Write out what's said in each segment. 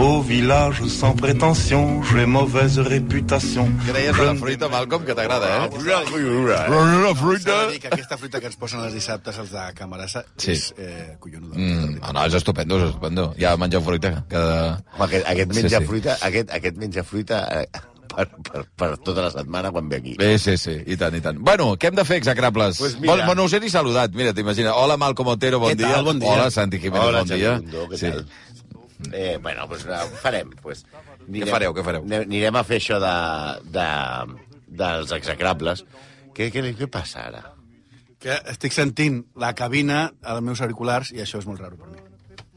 Au village sans prétention, j'ai mauvaise réputation. Què deies de la fruita, Malcolm, que t'agrada, eh? La fruita. S'ha de dir que aquesta fruita que ens posen els dissabtes els de Camarasa és collonuda. No, és estupendo, és estupendo. Ja mengeu fruita. Home, aquest menja fruita, aquest menja fruita per tota la setmana quan ve aquí. Sí, i tant, i tant. Bueno, què hem de fer, execrables? Pues mira. No us he ni saludat, mira, t'imagina. Hola, Malcom Otero, bon dia. Bon dia. Hola, Santi Jiménez, bon dia. Què tal? Bueno, doncs farem. Què fareu? Anirem a fer això dels execrables. Què passa ara? Que estic sentint la cabina als meus auriculars i això és molt raro per mi.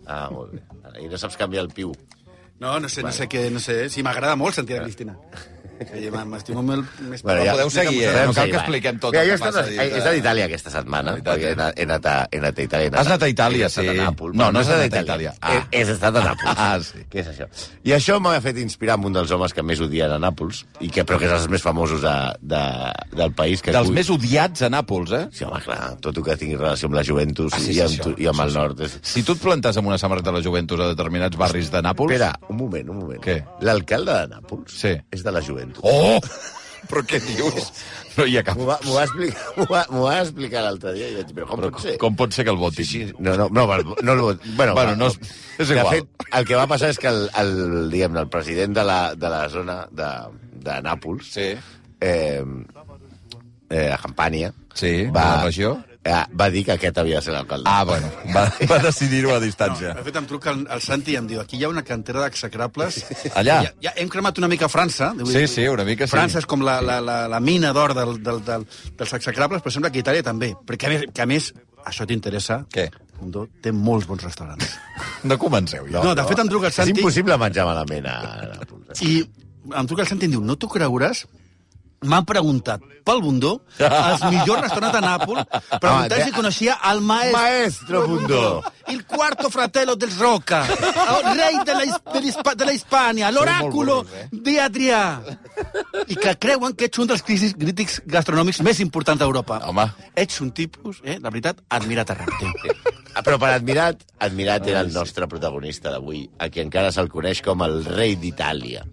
Ah, molt bé. I no saps canviar el piu. No sé què. Sí, m'agrada molt sentir a Cristina. M'estimo molt més... Bueno, ja, podeu seguir, no cal que expliquem tot el que passa. He estat a Itàlia aquesta setmana, perquè he anat a Itàlia. Has anat a Itàlia, sí. No has anat a Itàlia. He estat a Nàpols. Sí. Què és això? I això m'ha fet inspirar en un dels homes que més odien a Nàpols, però que és els més famosos del país. Dels més odiats a Nàpols, eh? Sí, home, clar, tot el que tingui relació amb la Juventus i amb el nord. Si tu et plantes amb una samarreta de la Juventus a determinats barris de Nàpols... Espera, un moment. Què? L'alcalde de Nàpols és de la Juventus. Oh! Però què dius? No hi ha cap... M'ho va explicar l'altre dia i vaig dir, però com pot ser? Com pot ser que el voti? Sí. No el voti. Bueno, és igual. De fet, el que va passar és que el president de la zona de Nàpols, a Campània, la regió, va dir que aquest havia de ser l'alcalde. Ah, bueno, va decidir-ho a distància. De fet, em truca el Santi i em diu, aquí hi ha una cantera d'execrables. Allà? Ja hem cremat una mica França. Sí, una mica sí. França és com la mina d'or dels execrables, però sembla que Itàlia també. Perquè, a més, això t'interessa? Què? Mundo té molts bons restaurants. No comenceu, ja. No, de fet, em truca el Santi... És impossible menjar malament a Nàpols. I em truca el Santi i em diu, no t'ho creuràs? M'han preguntat pel Bundó els millors restaurants de Nàpols, preguntant si coneixia el Maestro Bundó, el cuarto fratello del Roca, el rei de la Hispània, l'oràculo d'Adrià, i que creuen que ets un dels crítics gastronòmics més importants d'Europa. Home. Ets un tipus, la veritat, admirat arreu. Però per admirat era el nostre protagonista d'avui, a qui encara se'l coneix com el rei d'Itàlia.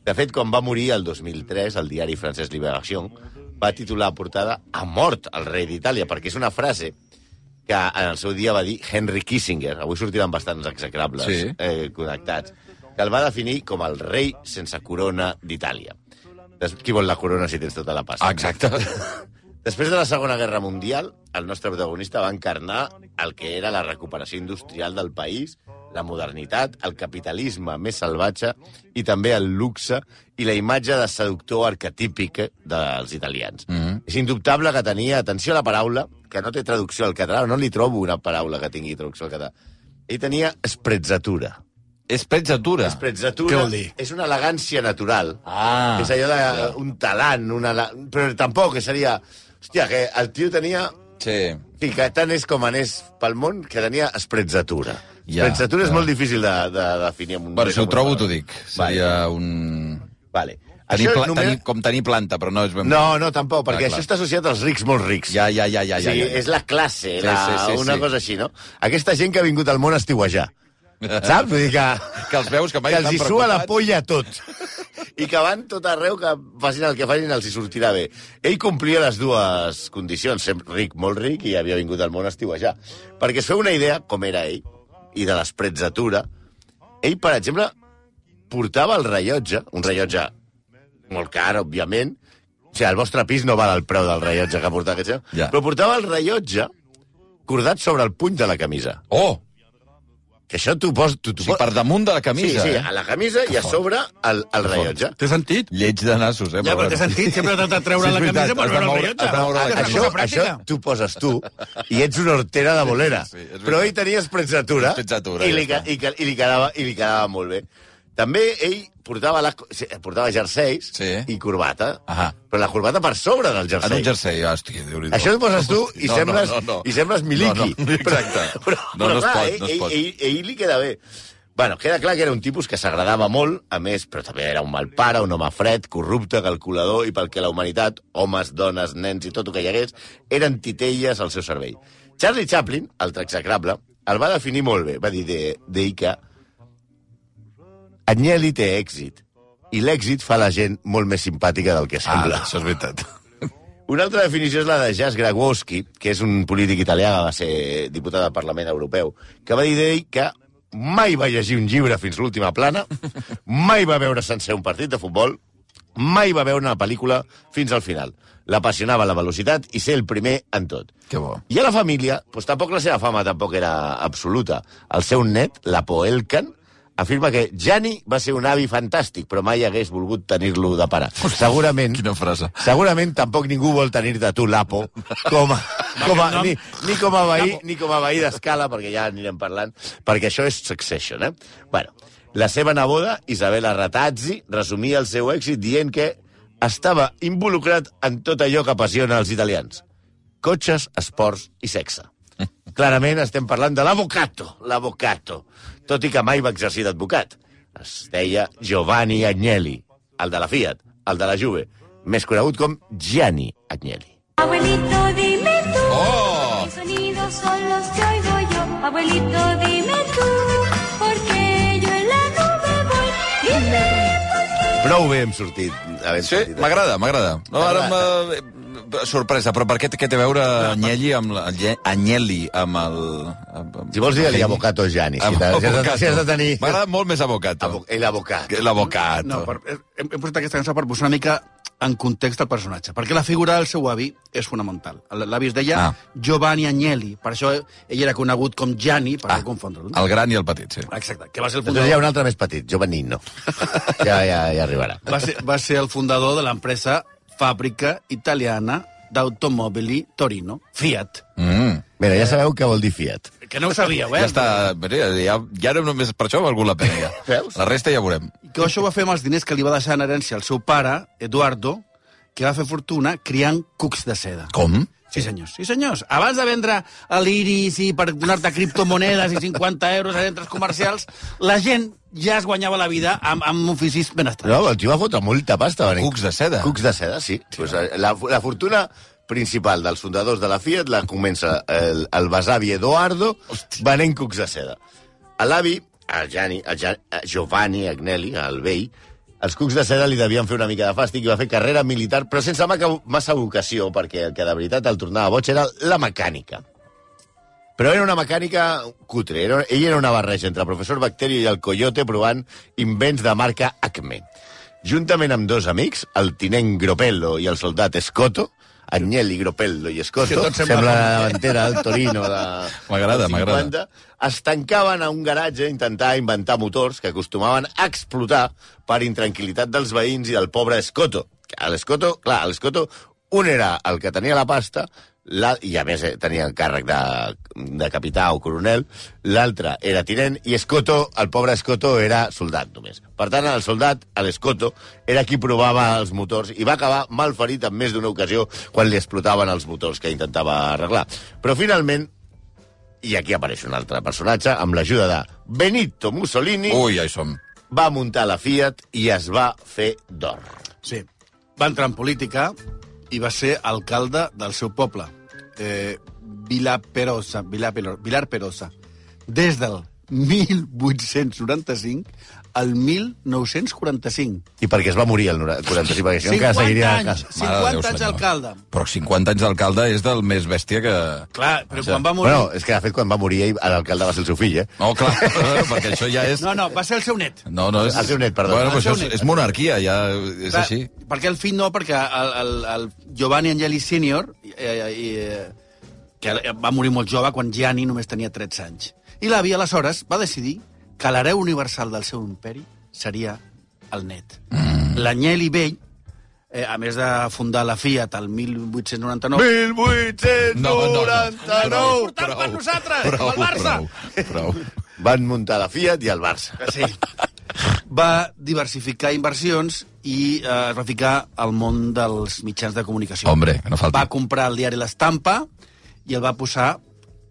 De fet, quan va morir el 2003, el diari francès Libération va titular a portada "Ha mort el rei d'Itàlia", perquè és una frase que en el seu dia va dir Henry Kissinger, avui sortiran bastants execrables connectats, que el va definir com el rei sense corona d'Itàlia. Qui vol la corona si tens tota la pasta? Exacte. Després de la Segona Guerra Mundial, el nostre protagonista va encarnar el que era la recuperació industrial del país, la modernitat, el capitalisme més salvatge i també el luxe i la imatge de seductor arquetípic dels italians. És indubtable que tenia, atenció a la paraula, que no té traducció al català, no li trobo una paraula que tingui traducció al català. Ell tenia sprezzatura. Sprezzatura? Sprezzatura. Què vol dir? És una elegància natural. Ah. És allò d'un talant, però tampoc, que seria... Hòstia, que el tio tenia... Sí. Sí, que tant és com anés pel món, que tenia sprezzatura. Ja, sprezzatura és molt difícil de definir amb un... Bueno, si ho trobo, t'ho dic. Seria un... Vale. Com tenir planta, però no és ben... No, tampoc, perquè això està associat als rics molt rics. Ja. Sí, és la classe, una cosa així, no? Aquesta gent que ha vingut al món a estiuejar. Saps? Vull dir que els veus que mai els estan hi sua la preocupats. polla tot. I que van tot arreu, que facin el que facin, els hi sortirà bé. Ell complia les dues condicions, sempre ric, molt ric, i havia vingut al món a estiuejar. Perquè es feu una idea, com era ell, i de l'esprezzatura, ell, per exemple, portava el rellotge, un rellotge molt car, òbviament, o sigui, el vostre pis no val el preu del rellotge que portava aquest senyor, però portava el rellotge cordat sobre el puny de la camisa. Oh! Que això t'ho pos... O sigui, per damunt de la camisa. Sí, a la camisa i a sobre el rellotge. Té sentit? Lleig de nassos, Ja, però té sentit. Sempre t'ha de treure la camisa per veure el rellotge. Això t'ho poses tu i ets una hortera de bolera. Però ell tenia sprezzatura i li quedava molt bé. També ell portava jerseis i corbata, però la corbata per sobre del jersei. En un jersei, hòstia, Déu-n'hi-do. Això et poses tu i sembles Miliki. Exacte. Però clar, ell li queda bé. Bueno, queda clar que era un tipus que s'agradava molt, a més, però també era un mal pare, un home fred, corrupte, calculador, i pel que la humanitat, homes, dones, nens i tot el que hi hagués, eren titelles al seu cervell. Charlie Chaplin, altre execrable, el va definir molt bé. Va dir d'ell que Agnelli té èxit, i l'èxit fa la gent molt més simpàtica del que sembla. Això és veritat. Una altra definició és la de Jasz Grabowski, que és un polític italià que va ser diputat del Parlament Europeu, que va dir d'ell que mai va llegir un llibre fins l'última plana, mai va veure sencer un partit de futbol, mai va veure una pel·lícula fins al final. L'apassionava la velocitat i ser el primer en tot. Que bo. I a la família, doncs tampoc la seva fama tampoc era absoluta. El seu net, l'Apo Elkan, afirma que Gianni va ser un avi fantàstic, però mai hagués volgut tenir-lo de pare. Segurament... Quina frase. Segurament tampoc ningú vol tenir-te tu, l'Apo, ni com a veí d'Escala, perquè ja anirem parlant, perquè això és Succession, Bueno, la seva neboda, Isabella Ratazzi, resumia el seu èxit dient que estava involucrat en tot allò que apassiona els italians. Cotxes, esports i sexe. Clarament estem parlant de l'avocato, tot i que mai va exercir d'advocat. Es deia Giovanni Agnelli, el de la Fiat, el de la Juve, més conegut com Gianni Agnelli. Abuelito, dime tú, ¿qué sonidos son los que oigo yo? Abuelito, dime tú, porque yo en la nube voy. Dime por qué. Prou bé hem sortit. Sí, m'agrada. No, ara sorpresa, però per què té a veure Agnelli amb el... Si vols dir-li avocato Gianni, si has de tenir... M'agrada molt més avocato. L'avocato. No, hem posat aquesta cançó per posar una mica en context del personatge, perquè la figura del seu avi és fonamental. L'avi es deia Giovanni Agnelli, per això ell era conegut com Gianni, per no confondre'l. El gran i el petit, sí. Exacte, que va ser el fundador... Hi ha un altre més petit, Giovannino. Ja arribarà. Va ser el fundador de l'empresa Fàbrica Italiana d'Automobili Torino, Fiat. Mira, ja sabeu què vol dir Fiat. Que no ho sabíeu, Ja està, ja no només per això ha valgut la pena. Veus? La resta ja veurem. I que això ho va fer amb els diners que li va deixar en herència el seu pare, Eduardo, que va fer fortuna criant cucs de seda. Com? Sí, senyors. Abans de vendre l'Iris i per donar-te criptomonedes i 50 euros a centres comercials, la gent ja es guanyava la vida amb oficis ben estrats. No, el tio va fotre molta pasta. Cucs de seda. Cucs de seda, sí. Pues la fortuna principal dels fundadors de la Fiat la comença el besavi Edoardo venent cucs de seda. A l'avi, a Giovanni Agnelli, al vell, els cucs de seda li devien fer una mica de fàstic i va fer carrera militar, però sense massa vocació, perquè el que de veritat el tornava boig era la mecànica. Però era una mecànica cutre. Ell era una barreja entre el professor Bacterio i el Coyote provant invents de marca Acme. Juntament amb dos amics, el tinent Gropello i el soldat Escoto, Agnelli, Gropello i Escoto, sembla la davantera del Torino M'agrada. Es tancaven a un garatge a intentar inventar motors que acostumaven a explotar per intranquil·litat dels veïns i del pobre Escoto. L'Escoto, un era el que tenia la pasta, i a més tenia el càrrec de capità o coronel, l'altre era tinent, i Escoto, el pobre Escoto, era soldat només. Per tant, el soldat, l'Escoto, era qui provava els motors i va acabar malferit en més d'una ocasió quan li explotaven els motors que intentava arreglar. Però finalment, i aquí apareix un altre personatge, amb l'ajuda de Benito Mussolini, ja hi som. Va muntar la Fiat i es va fer d'or. Sí, va entrar en política i va ser alcalde del seu poble, Vilar Perosa, des del 1895 al 1945. I perquè es va morir el 45, perquè si no encara seguiria... 50 anys d'alcalde. Però 50 anys d'alcalde és del més bèstia que... Clar, però quan va morir... Bueno, és que de fet quan va morir ell, l'alcalde va ser el seu fill, No, clar, perquè això ja és... No, va ser el seu net. No, és... El seu net, perdó. Bueno, però això és monarquia, ja és clar, així. Perquè el fill no, perquè el Giovanni Agnelli Senior, que va morir molt jove quan Gianni només tenia 13 anys. I l'avi, aleshores, va decidir que l'hereu universal del seu imperi seria el net. L'Agnelli vell, a més de fundar la Fiat el 1899... 1899! Important per nosaltres, el Barça! Prou. Van muntar la Fiat i el Barça. Sí. Va diversificar inversions i es va ficar al món dels mitjans de comunicació. Hombre, que no falti. Va comprar el diari L'Estampa i el va posar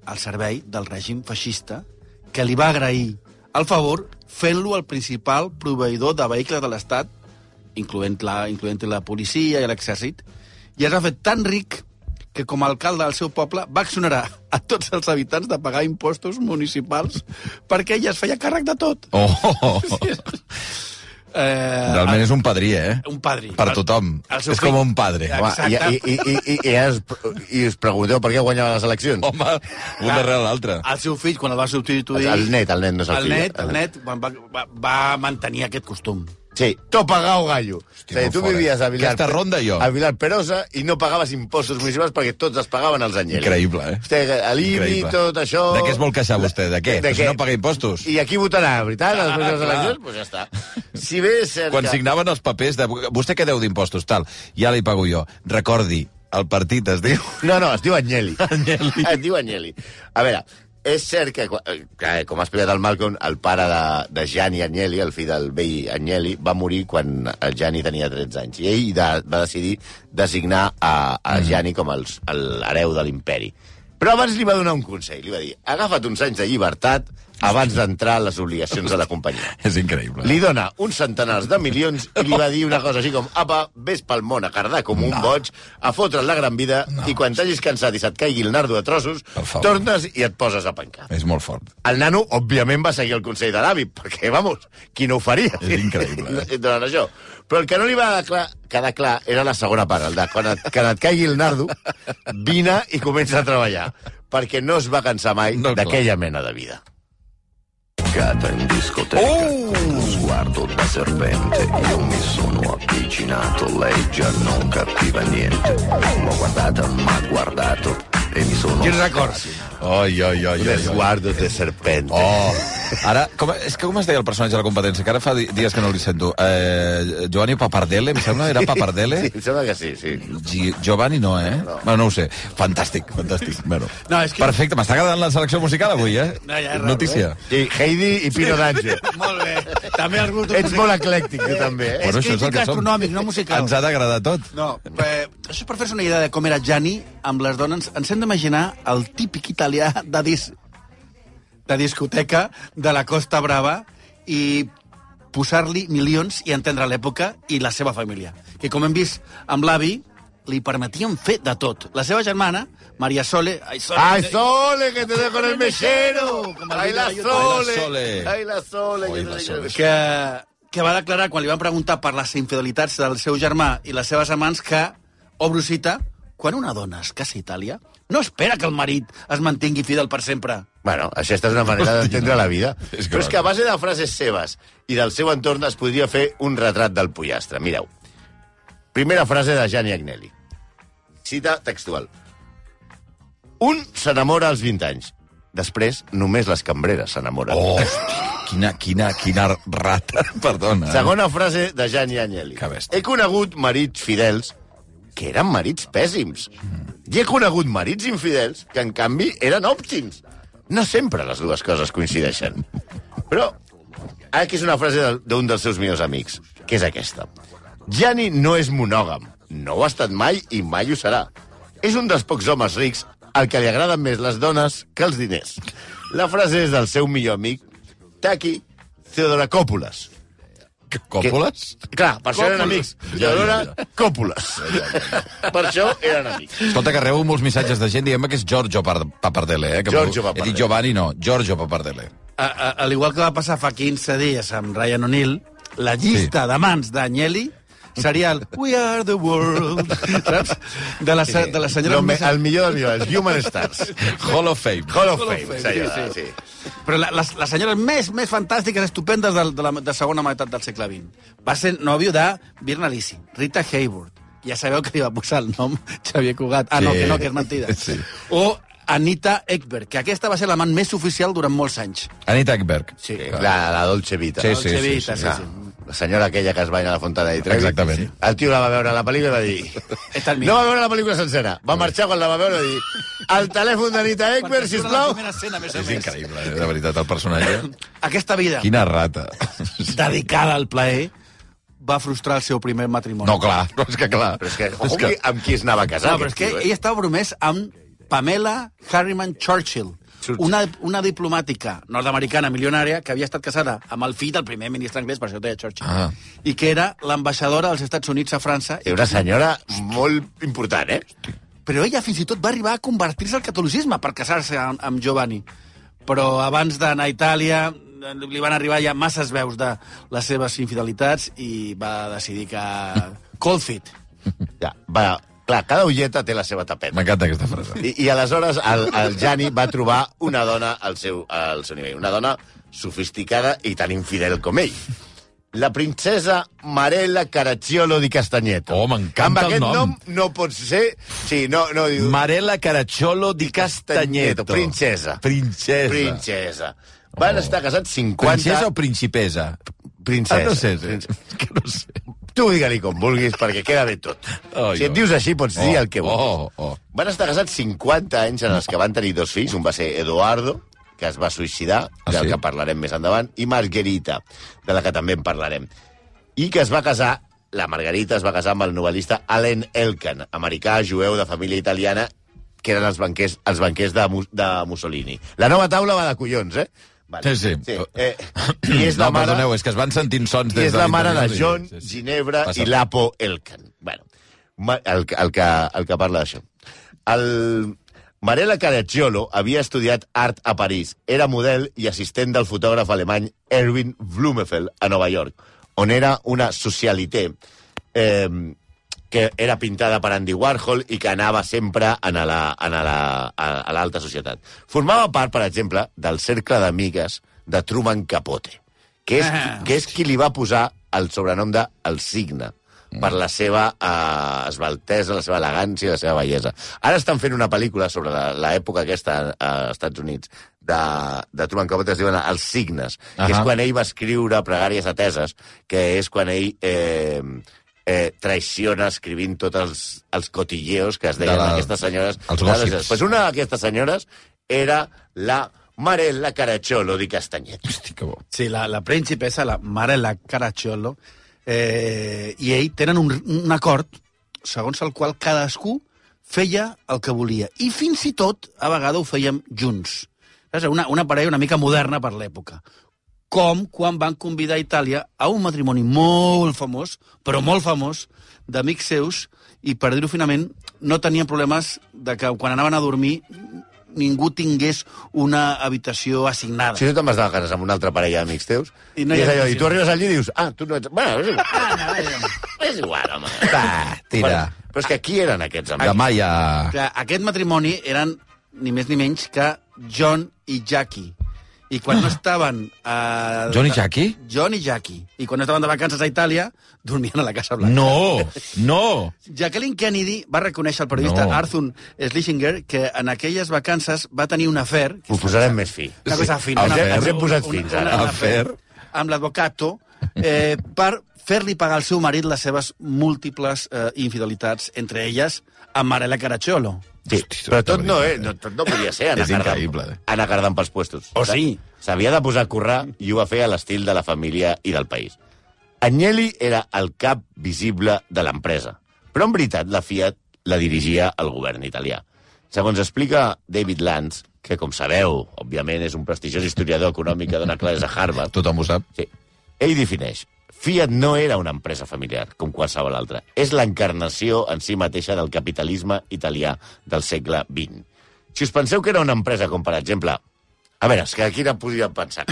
al servei del règim feixista, que li va agrair el favor fent-lo el principal proveïdor de vehicles de l'Estat, incloent-hi la policia i l'exèrcit, i es va fer tan ric que com a alcalde del seu poble va exonerar a tots els habitants de pagar impostos municipals perquè ella es feia càrrec de tot. Oh. Sí. Realment és un padrí, Un padrí. Per tothom. És com un padre. Exacte. I us pregunteu per què guanyava les eleccions? Home, un darrere l'altre. El seu fill, quan el va substituir... El net no és el fill. El net va mantenir aquest costum. Sí, to pagao gallo. Hòstia, tu vivies a Vilar... Aquesta ronda jo. A Vilar Perosa i no pagaves impostos municipals perquè tots els pagaven els Agnelli. Increïble, l'IBI, tot això... De què es vol queixar vostè? De què? Si no paga impostos. I aquí votarà, veritat? Les properes eleccions? Doncs ja està. Si bé és cert Quan signaven els papers de... Vostè què deu d'impostos? Tal. Ja li pago jo. Recordi, el partit es diu... No, es diu Agnelli. Agnelli. Es diu Agnelli. A veure, és cert que, com ha explicat el Malcolm, el pare de Gianni Agnelli, el fill del vell Agnelli, va morir quan el Gianni tenia 13 anys. I ell va decidir designar a Gianni com l'hereu de l'imperi. Però abans li va donar un consell. Li va dir, agafa't uns anys de llibertat abans d'entrar a les obligacions de la companyia. És increïble. Li dona uns centenars de milions i li va dir una cosa així com apa, vés pel món a cardar com un boig, a fotre't la gran vida i quan t'hagis cansat i se't caigui el nardo a trossos, tornes i et poses a pencar. És molt fort. El nano, òbviament, va seguir el consell de l'avi, perquè, vamos, qui no ho faria? És increïble. Durant això. Però el que no li va quedar clar era la segona part, el de quan et caigui el nardo, vine i comença a treballar, perquè no es va cansar mai d'aquella mena de vida. In discoteca, sguardo da serpente, io mi sono avvicinato, lei già non capiva niente, l'ho guardata, m'ha guardato e mi sono... Quins records? Oi. Sguardo de serpente. Ara, com es deia el personatge de la competència? Que ara fa dies que no li sento. Giovanni Papardelle, em sembla, era Papardelle? Sí, em sembla que sí. Giovanni no, Bueno, no ho sé. Fantàstic. Bueno. No, és que... Perfecte, m'està agradant la selecció musical avui, No, ja és raro, Notícia. Sí, Heidi i Pino D'Angelo. Molt bé. També els gustos Ets molt eclèctic, tu també, Bueno, És crític gastronòmic, no musical. Ens ha d'agradar tot. No, això és per fer-se una idea de com era Gianni amb les dones. Ens hem d'imaginar el típic italià de discoteca de la Costa Brava i posar-li milions i entendre l'època i la seva família. Que, com hem vist amb l'avi, li permetien fer de tot. La seva germana, Maria Sole... ¡Ay, Sole, que te dejo en el mechero! ¡Ay, la Sole! ¡Ay, la Sole! Que va declarar, quan li van preguntar per les infidelitats del seu germà i les seves amants, que, obro cita, quan una dona es casa a Itàlia, no espera que el marit es mantingui fidel per sempre. Bueno, aquesta és una manera d'entendre la vida. Però és que a base de frases seves i del seu entorn es podria fer un retrat del pollastre. Mireu. Primera frase de Gianni Agnelli. Cita textual. Un s'enamora als 20 anys. Després, només les cambreres s'enamoren. Quina rata, perdona. Segona frase de Gianni Agnelli. Que bèstia. He conegut marits fidels que eren marits pèssims. I he conegut marits infidels que, en canvi, eren òptims. No sempre les dues coses coincideixen. Però aquí és una frase d'un dels seus millors amics, que és aquesta. Gianni no és monògam. No ho ha estat mai i mai ho serà. És un dels pocs homes rics al que li agraden més les dones que els diners. La frase és del seu millor amic, Taki Theodorakopoulos. Còpules? Clar, per això eren amics. Teodora Còpules. Per això eren amics. Escolta, que rebo molts missatges de gent dient que és Giorgio Papardelle, Giorgio Papardelle. He dit Giovanni, no. Giorgio Papardelle. Al igual que va passar fa 15 dies amb Ryan O'Neill, la llista d'amants d'Agnelli seria el We Are the World, saps? De les senyores... El millor, els Human Stars. Hall of Fame. Hall of Fame, sí. Però les senyores més fantàstiques, estupendes de segona meitat del segle XX. Va ser nòvio de Virna Lisi, Rita Hayworth. Ja sabeu que li va posar el nom Xavier Cugat. Ah, no, que és mentida. Sí. O Anita Ekberg, que aquesta va ser l'amant més oficial durant molts anys. Anita Ekberg. Sí. La Dolce Vita. Sí. Dolce Vita, sí. La senyora aquella que es banya a la Fontana di Trevi. Exactament. Sí. El tio la va veure a la pel·lícula i va dir... No va veure la pel·lícula sencera. Va marxar quan la va veure i va dir... El telèfon d'Anita Ekberg, sisplau. És increïble, de veritat, el personatge. Aquesta vida... Quina rata. Dedicada al plaer, va frustrar el seu primer matrimoni. No, clar. No, és que clar. Però és que, amb qui es anava a casar? No, però és que ell estava promès amb Pamela Harriman Churchill, una diplomàtica nord-americana milionària que havia estat casada amb el fill del primer ministre anglès, per això deia Churchill, i que era l'ambaixadora dels Estats Units a França. Era una senyora molt important, Però ella fins i tot va arribar a convertir-se al catolicisme per casar-se amb Giovanni. Però abans d'anar a Itàlia li van arribar ja masses veus de les seves infidelitats i va decidir que... Cold feet. Ja, va, clar, cada ulleta té la seva tapeta. M'encanta aquesta frase. I aleshores el Gianni va trobar una dona al seu nivell, una dona sofisticada i tan infidel com ell. La princesa Marella Caracciolo di Castagneto. Oh, m'encanta el nom. Amb aquest nom no pots ser... Sí, no diu... Marella Caracciolo di Castagneto. Princesa. Van estar casats 50... Princesa o principessa? Princesa. No sé. Que no sé. Tu digue-li com vulguis, perquè queda bé tot. Si et dius així, pots dir el que vulguis. Van estar casats 50 anys en els que van tenir 2 fills. Un va ser Eduardo, que es va suïcidar, del que parlarem més endavant, i Margherita, de la que també en parlarem. I que es va casar, la Margarita es va casar amb el novel·lista Allen Elkan, americà, jueu, de família italiana, que eren els banquers de Mussolini. La nova taula va de collons, eh? Vale. Sí. I és la mare... Perdoneu, és que es van sentint sons des de... I és la mare de John, Ginebra i Lapo Elkan. Bueno, el que parla d'això. Marella Caracciolo havia estudiat art a París. Era model i assistent del fotògraf alemany Erwin Blumenfeld a Nova York, on era una socialité que era pintada per Andy Warhol i que anava sempre a l'alta societat. Formava part, per exemple, del cercle d'amigues de Truman Capote, que és qui li va posar el sobrenom de El Cigne, per la seva esbaltesa, la seva elegància i la seva bellesa. Ara estan fent una pel·lícula sobre l'època aquesta als Estats Units de Truman Capote, es diuen Els Signes, que és quan ell va escriure Pregàries ateses, que és quan ell traiciona escrivint tots els cotilleos que es deien aquestes senyores. Els gòssips. Pues una d'aquestes senyores era la Marella Caracciolo di Castagneto. Hosti, que bo. Sí, la principessa, la Marella Caracciolo, i ell tenen un acord segons el qual cadascú feia el que volia. I fins i tot, a vegades, ho fèiem junts. Una parella una mica moderna per l'època. Com quan van convidar a Itàlia a un matrimoni molt famós, però molt famós, d'amics seus, i per dir-ho finament, no tenien problemes de que quan anaven a dormir ningú tingués una habitació assignada. Si tu te'n vas de vacances amb una altra parella d'amics teus, i tu arribes allí i dius, tu no ets... Bueno, és igual, home. Va, tira. Però és que qui eren aquests amics? Demà ja... Aquest matrimoni eren ni més ni menys que John i Jackie. I quan no estaven... John i Jackie? John i Jackie. I quan no estaven de vacances a Itàlia, dormien a la Casa Blanca. No! Jacqueline Kennedy va reconèixer al periodista Arthur Schlesinger que en aquelles vacances va tenir un afer... Ho posarem més fi. Una cosa fina. Ens hem posat fins ara. Un afer amb l'advocato per fer-li pagar al seu marit les seves múltiples infidelitats, entre elles amb Marella Caracciolo. Sí, però tot no podia ser anar cardant pels puestos. Sí. S'havia de posar a currar i ho va fer a l'estil de la família i del país. Agnelli era el cap visible de l'empresa, però en veritat la Fiat la dirigia el govern italià. Segons explica David Lantz, que com sabeu, òbviament és un prestigiós historiador econòmic que dona classes a Harvard. Tothom ho sap. Sí. Ell defineix: Fiat no era una empresa familiar, com qualsevol altra. És l'encarnació en si mateixa del capitalisme italià del segle XX. Si us penseu que era una empresa com, per exemple... A veure, és que aquí no podria pensar...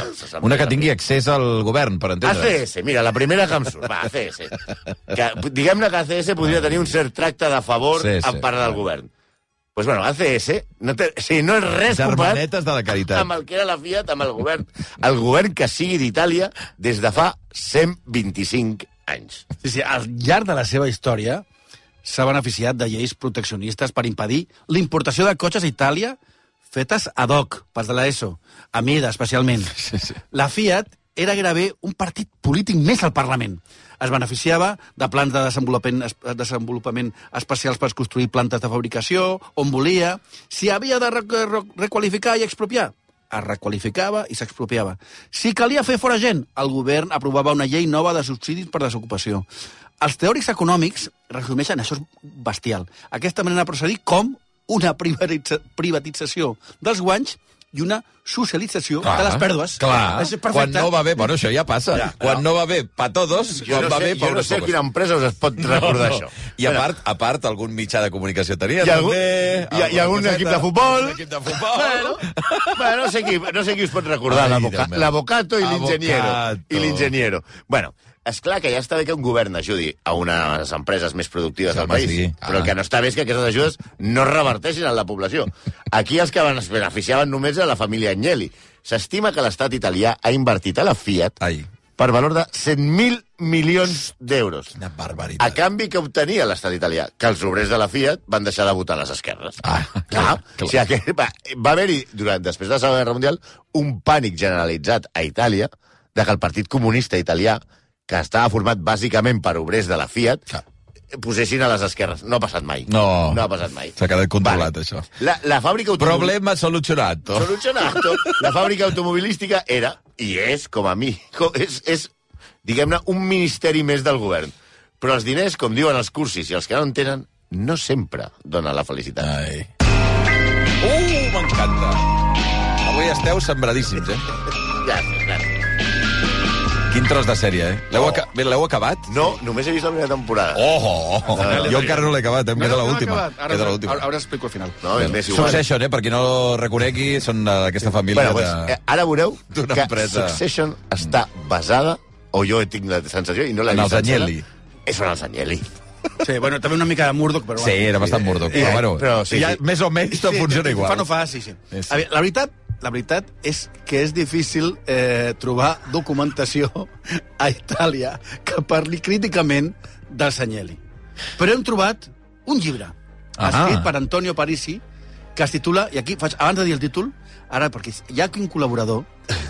Una que tingui accés al govern, per entendre's. ACS, mira, la primera que em surt. Va, ACS. Diguem-ne que ACS podria tenir un cert tracte de favor en part del govern. Pues bueno, ACS no és res Germanetes de la caritat. Amb el que era la Fiat, amb el govern. El govern que sigui d'Itàlia des de fa 125 anys. Sí, al llarg de la seva història s'ha beneficiat de lleis proteccionistes per impedir l'importació de cotxes a Itàlia fetes ad hoc, pas de l'ESO, a mida especialment. Sí. La Fiat era gairebé un partit polític més al Parlament. Es beneficiava de plans de desenvolupament especials per construir plantes de fabricació, on volia. Si havia de requalificar i expropiar, es requalificava i s'expropiava. Si calia fer fora gent, el govern aprovava una llei nova de subsidis per desocupació. Els teòrics econòmics resumeixen, això és bestial, aquesta manera de procedir com una privatització dels guanys i una socialització de les pèrdues. Clar, És perfecte. quan no va bé, bueno, això ja passa. Ja, quan no va bé, pa todos, quan va bé, pa jo no unos sé pocos. quina empresa us es pot recordar això. I a part, algun mitjà de comunicació tenia, Hi ha algun- també. hi ha algun equip de futbol. Un equip de futbol. Bueno, no sé qui us pot recordar, Ai, Déu meu. l'avocato i l'ingeniero. Avocato. I l'ingeniero. Bueno, és clar que ja està bé que un govern ajudi a unes empreses més productives del Home, país, sí. però el que no està bé és que aquestes ajudes no reverteixin en la població. Aquí els que es beneficiaven només a la família Agnelli. S'estima que l'estat italià ha invertit a la Fiat Ai, per valor de 100.000 milions d'euros. quina A barbaritat. canvi que obtenia l'estat italià, que els obrers de la Fiat van deixar de votar a les esquerres. Clar. O sigui, que va haver-hi, després de la Segona Guerra Mundial, un pànic generalitzat a Itàlia de que el Partit Comunista Italià, que estava format bàsicament per obrers de la Fiat, Clar. posessin a les esquerres. No ha passat mai. No. No ha passat mai. S'ha quedat controlat, això. La fàbrica automobilística... Problema solucionato. Solucionato. La fàbrica automobilística era, i és, com a mi, és diguem-ne, un ministeri més del govern. Però els diners, com diuen els cursis, i els que no en tenen, no sempre donen la felicitat. Ai. M'encanta. Avui esteu sembradíssims, Gràcies, gràcies. Quin tros de sèrie, L'heu acabat? No, només he vist la primera temporada. Jo encara no l'he acabat, em queda l'última. Queda l'última. Ara explico al final. No, és més igual. Succession, per qui no ho reconegui, són d'aquesta família Bueno, pues, ara veureu d'una que empresa. Succession està basada, o jo tinc la sensació, i no l'he En vist els Agnelli. sencera, són els Agnelli. Sí, bueno, també una mica de Murdoch, però... Sí, era bastant Murdoch, però bueno, però sí, ja, sí. més o menys tot funciona igual. Fa no fa, sí. Sí. A veure, la veritat és que és difícil trobar documentació a Itàlia que parli críticament dels Agnelli. Però hem trobat un llibre escrit per Antonio Parisi que es titula, i aquí faig, abans de dir el títol, ara, perquè hi ha un col·laborador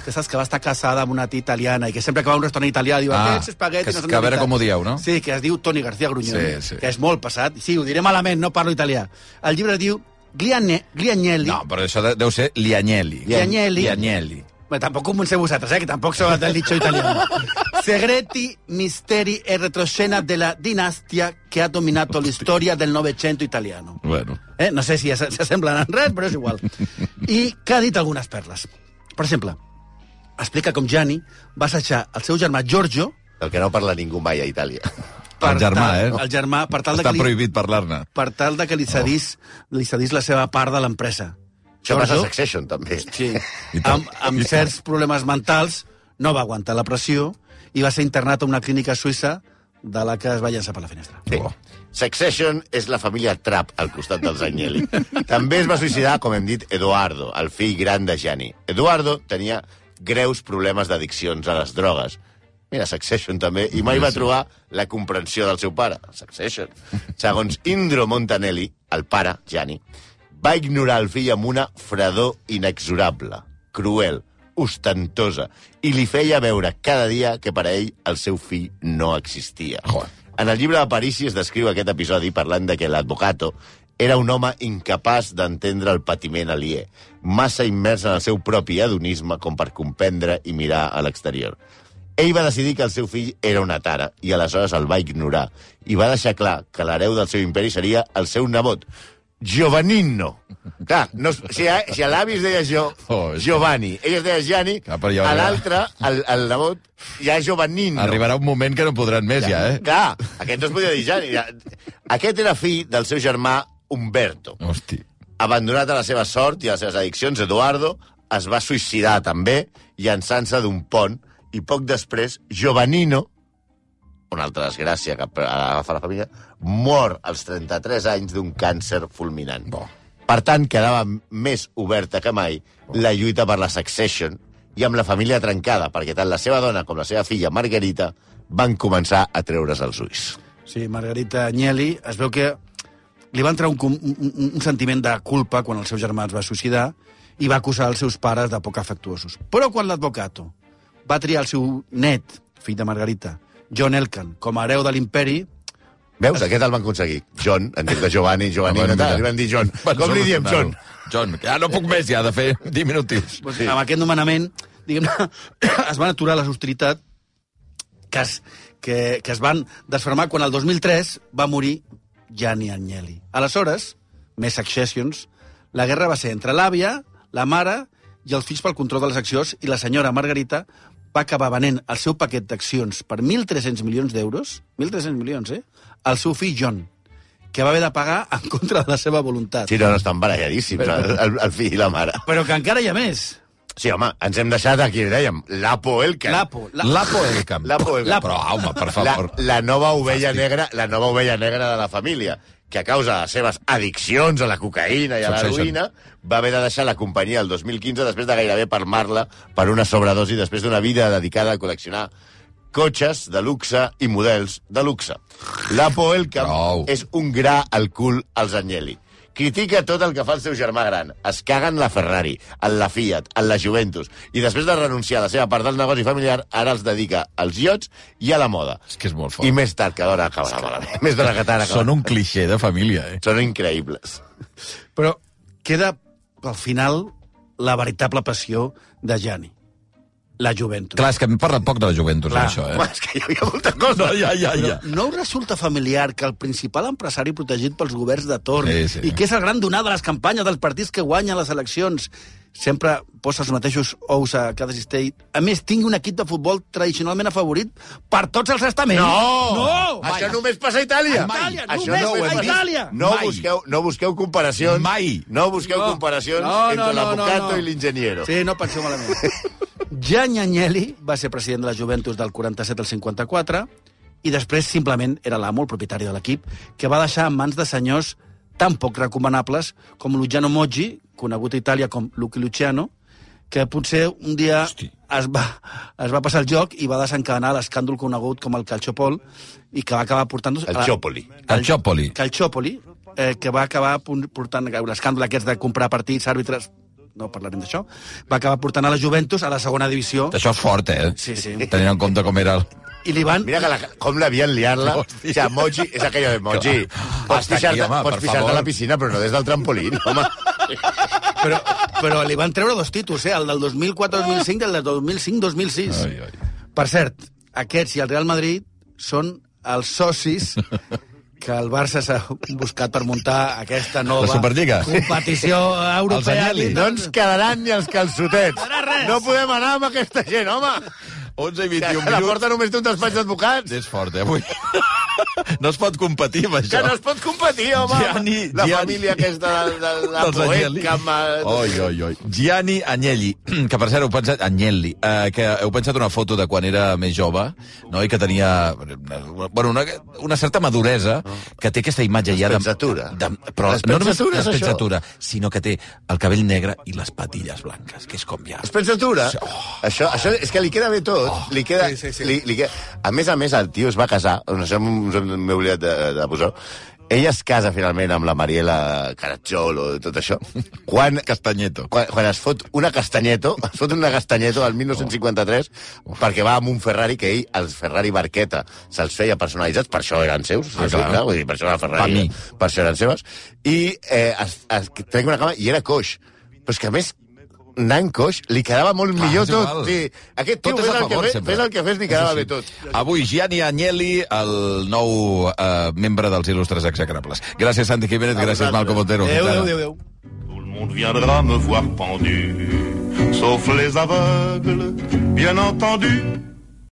que saps que va estar casada amb una tia italiana i que sempre que va a un restaurant italià diu aquests espaguetis... que a veure com ho dieu, no? Sí, que es diu Toni García Grunyoni, Sí. que és molt passat. Sí, ho diré malament, no parlo italià. El llibre diu Gliagnelli. No, però això deu ser Liagnelli. Liagnelli. Bé, tampoc comenceu vosaltres, que tampoc sou del dicho italiano. Segreti, misteri e retroscena della dinastia que ha dominato l'història del Novecento italiano. Bueno. No sé si s'assemblen en res, però és igual. I que ha dit algunes perles. Per exemple, explica com Gianni va assajar el seu germà Giorgio... El que no parla ningú mai a Itàlia. El germà, El germà, per tal de Està que li, prohibit parlar-ne. per tal de que li cedís la seva part de l'empresa. Això passa a Giorgio, Succession, també. sí, I tant. amb certs problemes mentals, no va aguantar la pressió i va ser internat a una clínica suïssa de la que es va llançar per la finestra. Sí. Succession és la família Trapp al costat dels Agnelli. També es va suïcidar, com hem dit, Edoardo, el fill gran de Gianni. Edoardo tenia greus problemes d'addiccions a les drogues. Mira, Succession també, i mai va trobar la comprensió del seu pare. Succession. Segons Indro Montanelli, el pare, Gianni, va ignorar el fill amb una fredor inexorable, cruel, ostentosa, i li feia veure cada dia que per a ell el seu fill no existia. En el llibre de Parisi es descriu aquest episodi parlant de que l'advocato era un home incapaç d'entendre el patiment aliè, massa immers en el seu propi hedonisme com per comprendre i mirar a l'exterior. Ell va decidir que el seu fill era una tara i aleshores el va ignorar i va deixar clar que l'hereu del seu imperi seria el seu nebot, Giovannino. Clar, no, si a l'avi es deia Giovanni, ell es deia Gianni, a l'altre, el nebot, ja és Giovannino. Arribarà un moment que no podran més, ja, Clar, aquest no es podia dir Gianni. Aquest era fill del seu germà Umberto. Hosti. Abandonat a la seva sort i a les seves addiccions, Eduardo es va suïcidar també, llançant-se d'un pont, i poc després, Giovannino, una altra desgràcia que agafa la família, mor als 33 anys d'un càncer fulminant. Per tant, quedava més oberta que mai la lluita per la succession i amb la família trencada, perquè tant la seva dona com la seva filla, Margarita, van començar a treure's els ulls. Sí, Margarita Agnelli, es veu que li va entrar un sentiment de culpa quan el seu germà es va suïcidar i va acusar els seus pares de poc afectuosos. Però quan l'advocato va triar el seu net, fill de Margarita, John Elkann, com a hereu de l'imperi... Veus? Aquest el van aconseguir. John, en lloc de Giovanni, Giovannino, li van dir John. Com li diem, John? John, ja no puc més, ja, de fer 10 minutius. Sí. Amb aquest nomenament, diguem-ne, es van aturar les hostilitats que es van desfermar quan el 2003 va morir Gianni Agnelli. Aleshores, més Successions, la guerra va ser entre l'àvia, la mare i els fills pel control de les accions, i la senyora Margarita va acabar venent el seu paquet d'accions per 1.300 milions d'euros, 1.300 milions, al seu fill John, que va haver de pagar en contra de la seva voluntat. Sí, no, estan baralladíssims, el fill i la mare. Però que encara hi ha més. Sí, home, ens hem deixat aquí, dèiem, l'Apo Elkan. L'Apo Elkan. Però, home, per favor. La nova ovella negra de la família, que a causa de les seves addiccions a la cocaïna i a l'heroïna va haver de deixar la companyia el 2015 després de gairebé palmar-la per una sobredosi després d'una vida dedicada a col·leccionar cotxes de luxe i models de luxe. L'Apo Elkan és un gra al cul als Agnelli. Critica tot el que fa el seu germà gran. Es caga en la Ferrari, en la Fiat, en la Juventus. I després de renunciar a la seva part del negoci familiar, ara els dedica als iots i a la moda. És que és molt fort. I més tard que d'hora acabarà malament. Més d'hora que tard acabarà. Són un clixé de família, Són increïbles. Però queda, al final, la veritable passió de Gianni. La Juventus. Clar, és que hem parlat poc de la Juventus, això, Home, és que hi havia molta cosa. Ja. No us resulta familiar que el principal empresari protegit pels governs de torn i que és el gran donar de les campanyes dels partits que guanyen les eleccions sempre posa els mateixos ous a cada cistell, a més tingui un equip de futbol tradicionalment afavorit per tots els estaments? No! Això només passa a Itàlia. Només a Itàlia. No busqueu comparacions. Mai. No busqueu comparacions entre l'avocato i l'ingeniero. Sí, no penseu malament. Gianni Agnelli va ser president de la Juventus del 47 al 54 i després simplement era l'amo, el propietari de l'equip, que va deixar en mans de senyors tan poc recomanables com Luciano Moggi, conegut a Itàlia com Lucky Luciano, que potser un dia es va passar el joc i va desencadenar l'escàndol conegut com el Calciopol i que va acabar portant... El Ciopoli. Que va acabar portant l'escàndol aquests de comprar partits, àrbitres... No parlarem d'això. Va acabar portant a la Juventus a la segona divisió. Això és fort, Sí. Tenint en compte com era el... I li van... Mira com l'havien liat-la. O sigui, Moggi, és aquella de Moggi. Pots pixar-te a la piscina, però no des del trampolín, home. Però li van treure 2 títols, el del 2004-2005 i el del 2005-2006. Per cert, aquests i el Real Madrid són els socis que el Barça s'ha buscat per muntar aquesta nova competició europea. No ens quedaran ni els calçotets. No podem anar amb aquesta gent, home. 11 i 21 minuts. La porta només té un despatx d'advocats. És fort, avui. No es pot competir amb això. Que no es pot competir, home. La família aquesta de la Poet. Gianni Agnelli, que per cert heu pensat... Agnelli, que heu pensat una foto de quan era més jove, no? I que tenia una certa maduresa, que té aquesta imatge ja de... Però no només despensatura, sinó que té el cabell negre i les patilles blanques, que és com ja... Despensatura? Això és que li queda bé tot. Li queda... A més, el tio es va casar, m'he oblidat de posar-ho. Ella es casa finalment amb la Mariela Caracciolo i tot això. Castanyeto. Quan es fot una Castanyeto, al 1953, perquè va amb un Ferrari que ell, els Ferrari Barqueta, se'ls feia personalitzats, per això eren seus, per això era Ferrari, per això eren seves, i trenca una cama i era coix. Però és que a més, anant coix, li quedava molt millor tot. Sí. Aquest tio, fes el que fes, li quedava bé tot. Avui, Gianni Agnelli, el nou membre dels il·lustres execrables. Gràcies, Santi Jiménez, gràcies, Malcom Otero. Adéu. Tout le monde viendra me voir pendu, sauf les aveugles, bien entendu.